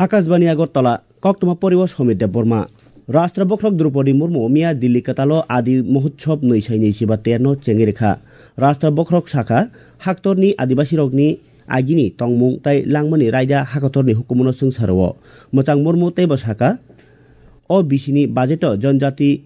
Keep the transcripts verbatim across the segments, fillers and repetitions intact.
Akashbani Agartala, koktwma poriwo Somit Debbarma. Rashtra Bokhorok Droupadi Murmu miya Delhi kwtalo Adi Mahotsav nwi sai nwi chiba ter no chengwi rwkha. Rashtra Bokhorok sakha, haktorni Adibasirokni agini tongmung tai langmani raida hakotorni hukumono chwngsa rwo. Mwchang Murmu teibo sakha, o bisini budgeto Janjati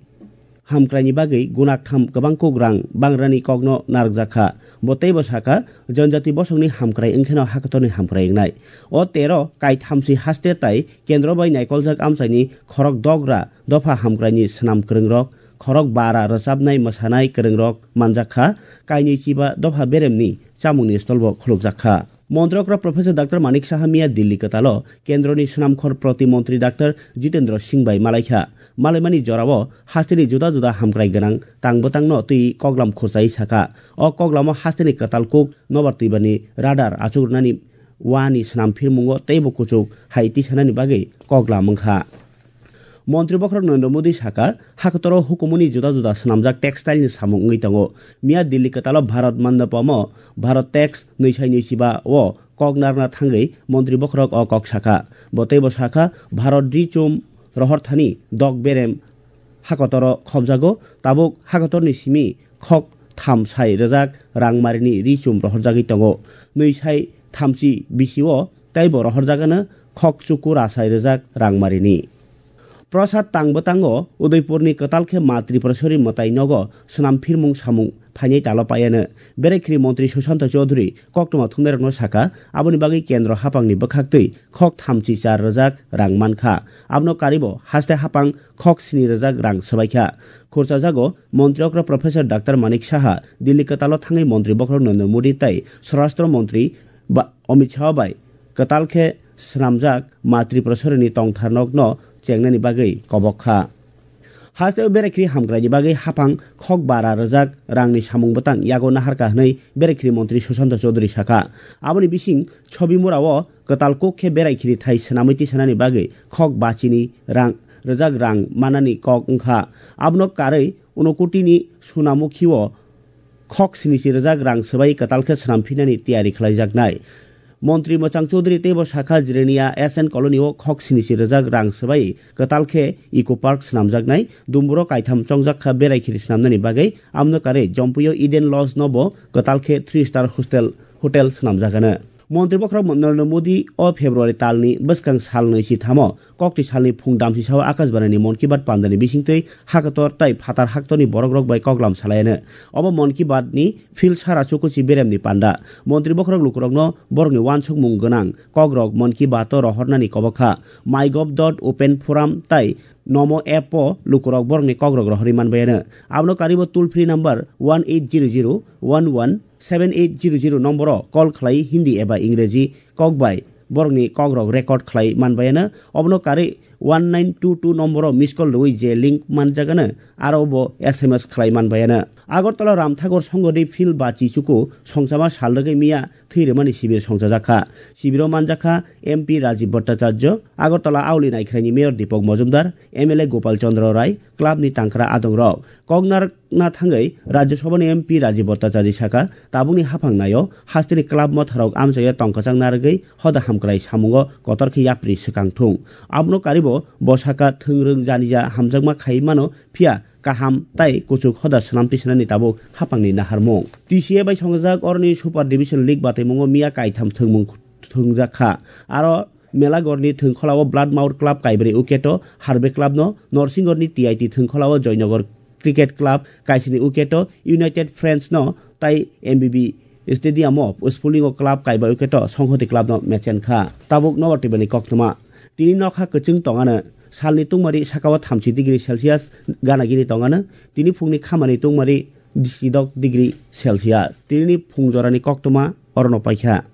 hamkraini bagwi gunaktham kwbang kuk rang bangrani kokno narwkjak kha. Bo teibo sakha, Janjati bosongni hamkrai wngkheno hakotorni hamkrai wngnai. O tero kaithamsi haste tai kendro bai naikoljak amchaini khorok dogra dopha hamkraini swnam kwrwngrok, khorok bara rwchapnai mwsanai kwrwngrok manjak kha, kainwi chiba dopha beremni chamungni stolbo khulukjak kha. Montri okra Professor Doctor Manik Saha miya Delhi kwtalo kendroni swnamkhor protimontri Doctor Jitendra Singh bai malaikha. Malaimani jorao hasteni juda juda hamkrai gwnang tang bwtangno twi koklam khurchai sakha. O koklamo hasteni kwtal kuk nobar twibani radar achukrwnani wani swnam phirmungo teibo kuchuk hai tisanani bagwi koklam wngkha. Montri Bokhorok Narendra Modi sakha, hakotoro hukumuni juda juda swnamjak textile ni samung wngwi tongo. Miya Delhi kwtalo Bharat Mandapamo Bharat Tex nwi sai nwi chiba o kok narwkna thangwi Montri Bokhorok o kok sakha. Bo teibo sakha, Bharat ri chum rohor thani dok berem hakotoro khobjago, tabuk hakotorni simi khok tham sai rwjak rang marini ri chum rohorjagwi tongo. Nwi sai thamchi bisio teibo rohorjagano khok chuku rasai rwjak rang marini. Prasad tang bwtango Udaipurni kwtal khe Ma Tripureshwari mwtai nogo swnam phirmung samung phainai talo paiano. Berekhri montri Sushanta Chaudhary koktwma thumnairokno sakha, aboni bagwi kendro haphangni bwkhaktwi khok thamchi char rwjak rang mankha. Abono karibo haste haphang khok sini rwjak rang swbaikha. Khurchajago montri okra Professor Doctor Manik Saha Delhi kwtalo thangwi montri bokhorok Narendra Modi tei Swarashtra montri ba-, Amit Shah bai kwtal khe swnamjak Ma Tripureshwari ni tongthar nokno chengnani bagwi kobok kha. Hasteo berekhri hamkraini bagwi haphang khok bara rwjak rangni samung bwtang yago naharkha hwnwi berekhri montri Sushanta Chaudhary sakha. Aboni bising Chobimura o kwtal kuk khe berekhri thai swnamwi tisanani bagwi khok bachini rang rwjak rang manani kok wngkha. Abono karwi Unokoti ni Sunamukhi o khok sinichi rwjak rang swbai kwtal khe swnam phinani tiyari khlaijaknai. Montri Mwchang Chaudhary teibo sakha, Jirania S N Colony o khok sinichi rwjak rang swbai kwtal khe Eco Park swnamjaknai. Dumburo kaitham chongjak kha berai khiri swnamnani bagwi, amno karwi Jompuio Eden Lodge no bo kwtal khe three star hostel, hotel swnamjagano. Montri bokhorok Narendra Modi o February talni bwskang sal nwi si thamo Kokti salni phung damsisao Akashbanini Mon Ki Baat pandani bisingtwi hakator tei phatar haktorni borokrok bai koklam salaiano. Obo Mon Ki Baat ni phil sara chukuchi beremni panda. Montri bokhorok lukurokno borokni uansukmung gwnang kokrok Mon Ki Baat o rohornani kobokha. MyGov dot open forum tei Nomo app o lukurok borokni kokrok rohorwi manbaiano. Abono karibo toll free number one eight zero zero one one seven eight zero zero nomboro call khlai Hindi eba Ingreji kok bai borokni kokrok record khlai manbaiano. Obono karwi one nine two two nomboro miss call rwui je link manjagano, aro bo S M S khlai manbaiano. Agartala Ramthagor Songho Day Field ba Chichuku songchama sal rwgwi miya thwi rwmani sibir songchajakha. Sibiro manjakha M P Rajiv Bhattacharya, Agartala Auli Naikhraini Mayor Deepak Majumdar, M L A Gopal Chandra Rai, club ni tangkra adongrok. Koknar na thangwi Rajya Sabha ni M P Rajiv Bhattacharya sakha, tabukni haphang naio hasteni club motharok amchaio tongkwchang narwgwi hoda hamkrai samungo kotor khe yapri swkang thung. Abono karibo bo sakha, thwngrwng janija hamjakma khai mano, phiya kaham tai kuchuk hoda swnam tisanani tabuk haphangni naharmung. T C A bai songjak oroni Super Division League bataimungo miya kaitham thwngmung thwngjak kha. Aro Melagorni thwngkholao Bloodmouth Club kaibrwi wicket-o harbe club-no, Norsingorni T I T thwngkholao Joynagar Cricket Club kaisini wicket-o United Friends-no tai M B B Stadium-o Sphulingo club kaiba wicket-o Songhoti club-no mechen kha. Tabuk nobar twibani koktwma. Tini nokha kwchwng tongano, salni tungmari sakao thamchi degree Celsius gana gini tongano, tini phungni khamani tungmari disidok degree Celsius. Tinini phung jorani koktwma orono paikha.